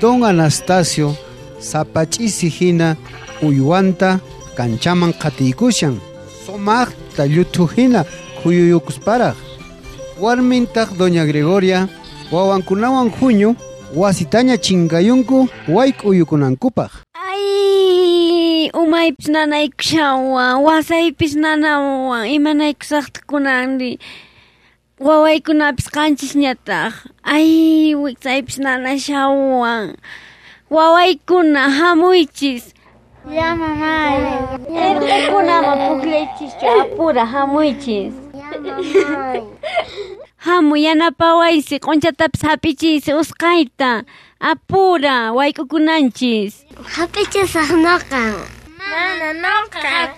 Don Anastasio sapach'isi hina uywanta kanchaman qhatiykushan, sumaqta lluthu hina khuyuyukusparaq. Warmintaq Doña Gregoria wawankunawan huñu wasitaña chinkayunku wayk'uyukunankupaq. Ay, umaypis nanaykushawan, wasaypis nanawan, imanaykusaqta kunanri. Wawaykunapis qanchisñataq. Ay, wiksaypis nanashawan. Wawaykuna hamuychis. Ya, mamay. Irqikunaman pukllaychischu, apura hamuychis. Ya, mamay. Hamuy yanapawaysi, q'unchatapis hap'ichiysi usqhayta. Apura wayk'ukunanchis. Hap'ichisaq noqa. Mana noqa.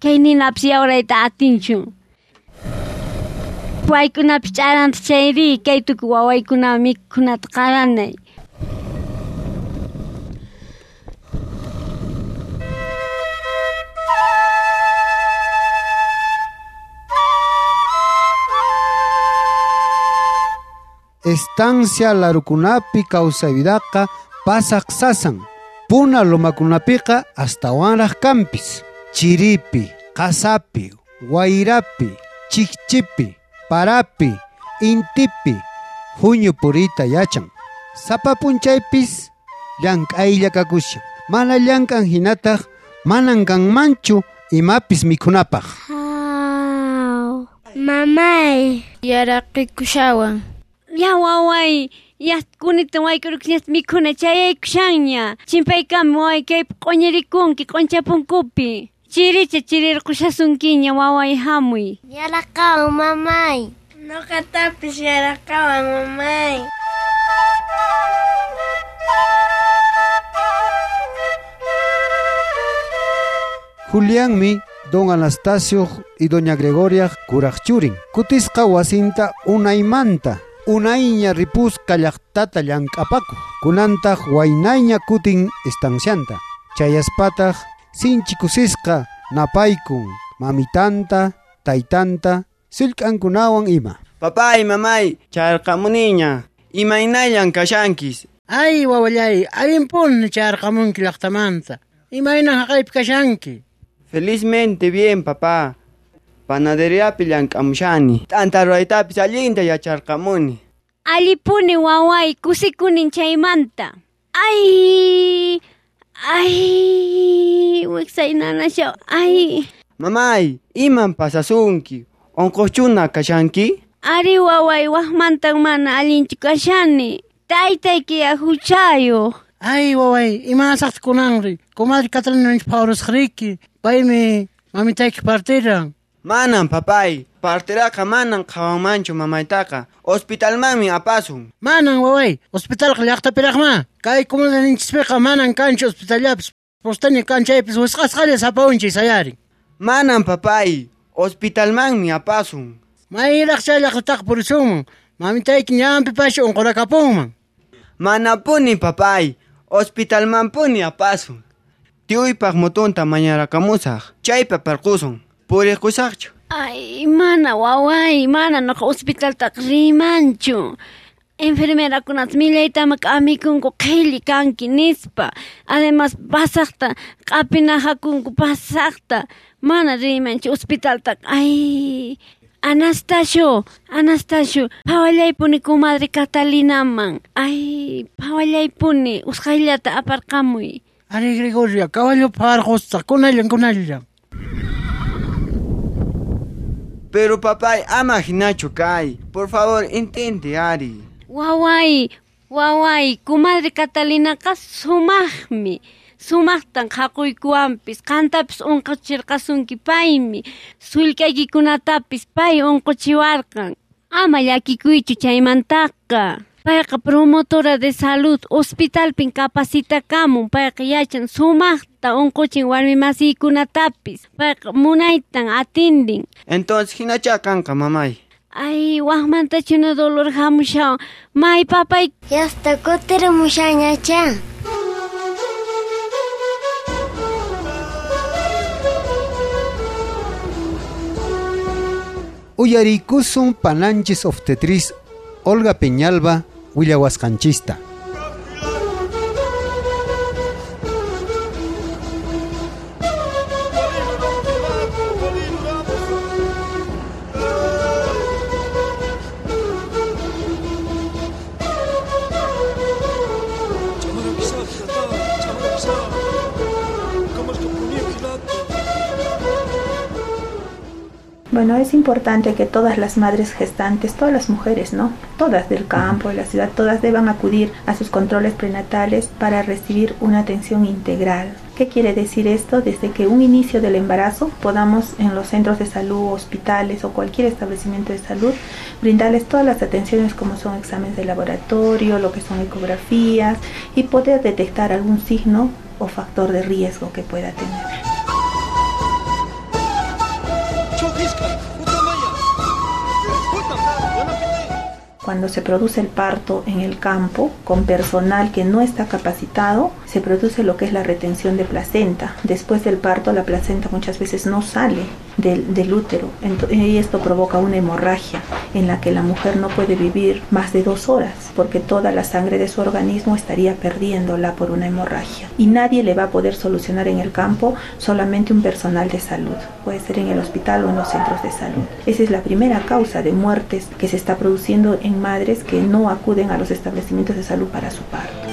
Kay ninapis yawrayta atinchu. Waykunapis ch'aranta chayri, kay tukuy wawaykuna mikhunata qaranay. Estancia larukunapi kawsayvidaqa pasaq sasan. Puna lomakunapiqa astawanraq kanpis. Chiripi, qasapi, wayrapi, chikchipi, parapi, intipi, huñu puriyta yachan. Sapa p'unchaypis llank'aylla kakushan. Mana llank'an hinataq manan kanmanchu imapis mikhunapaq. Mamay. Yaraqikushawan. Ya waway, ya kunita wayk'urukusñata mikhuna chayaykushanña. Chimpaykama waway kaypi q'uñirikunki q'unchapunkupi. Chiricha chirirqushasunkiña waway hamuy. Yaraqawan mamay. Noqatapis yaraqawan mamay. Julianmi Don Anastasio y Doña Gregoria kuraq churin. Kutisqa wasinta unaymanta. Unayña ripusqa llaqtata llank'apakuq. Kunantaq waynayña kutin estancianta. Chayaspataq sinchi kusisqa napaykun mamitanta, taytanta, sullk'ankunawan ima. Papay, mamay, chayarqamuniña. Imaynallan kashankis? Ay, wawallay, allinpuni chayarqamunki llaqtamanta. Imaynan haqaypi kashanki? Felizmente bien, papá. Panaderiapi llank'amushani. T'anta ruwaytapis allinta yacharqamuni. Allipuni waway, kusikunin chaymanta. Ay, ay, wiksay nanashaw, ay. Mamay, iman pasasunki? Unquqchuna kashanki? Ari waway, waqmantan mana allinchu kashani. Taytaykiya huchayuq. Ay, waway, imanasaqta kunanri? Comadre Catalina phawrusqriki. Paymi mamitayki partiran. Manan, papay. Parteraqa manan qhawanmanchu mamaytaqa. Hospitalmanmi apasun. Manan, waway. Hospitalqa llaqtapiraqma. Kay comunidadninchispiqa manan kanchu hospitallapis. Postaña kanchaypis wisq'asqalla sapaunchis sayarin. Manan, papay. Hospitalmanmi apasun. Mayraq chay llaqtataqa purisunman. Mamitayki ñanpi pasha unqurakapunman. Manapuni, papay. Hospitalmanpuni apasun. Tiyuypaq motonta mañarakamusaq. Chaypi aparqusun. Puriqusaqchu. Ay, mana waway, mana noqa hospitaltaqa rimanchu. Enfermerakunata millaytama k'amikunku qhilli kanki nispa. Además pasaqta q'apinajakunku pasaqta. Mana rimanchu hospitaltaqa. Ay, Anastasio, Anastasio, phawallaypuni comadre Catalinaman. Ay, phawallaypuni usqhayllata aparqamuy. Ari Gregoria, caballo pharqusaq, kunallan, kunallan. Pero papay, ama hinachu kay. Por favor, intente, ari. Waway, waway, comadre Catalinaqa sumaqmi. Sumaqtan qhaquykuwanpis, qantapis unquchirqasunki paymi. Sullk'aykikunatapis pay unquchiwarqan. Ama llakikuychu chaymantaqa. Payqa promotora de salud, hospitalpin capacitakamun, payqa yachan sumaqta unquchin warmi masiykunatapis. Payqa munaytan atindin. Entonces hinacha kanqa, mamay. Ay, waqmantachuna dolor hamushawan. May papay. Yasta kutirimushañacha. Uyarikusun pananchis obstetriz Olga Peñalba willawasqanchista. Bueno, es importante que todas las madres gestantes, todas las mujeres, ¿no? Todas del campo, de la ciudad, todas deban acudir a sus controles prenatales para recibir una atención integral. ¿Qué quiere decir esto? Desde que un inicio del embarazo podamos en los centros de salud, hospitales o cualquier establecimiento de salud brindarles todas las atenciones como son exámenes de laboratorio, lo que son ecografías y poder detectar algún signo o factor de riesgo que pueda tener. Cuando se produce el parto en el campo con personal que no está capacitado, se produce lo que es la retención de placenta. Después del parto, la placenta muchas veces no sale del útero y esto provoca una hemorragia en la que la mujer no puede vivir más de 2 horas porque toda la sangre de su organismo estaría perdiéndola por una hemorragia. Y nadie le va a poder solucionar en el campo, solamente un personal de salud, puede ser en el hospital o en los centros de salud. Esa es la primera causa de muertes que se está produciendo en madres que no acuden a los establecimientos de salud para su parto.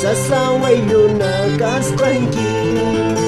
Sasa wayluna kasqanki.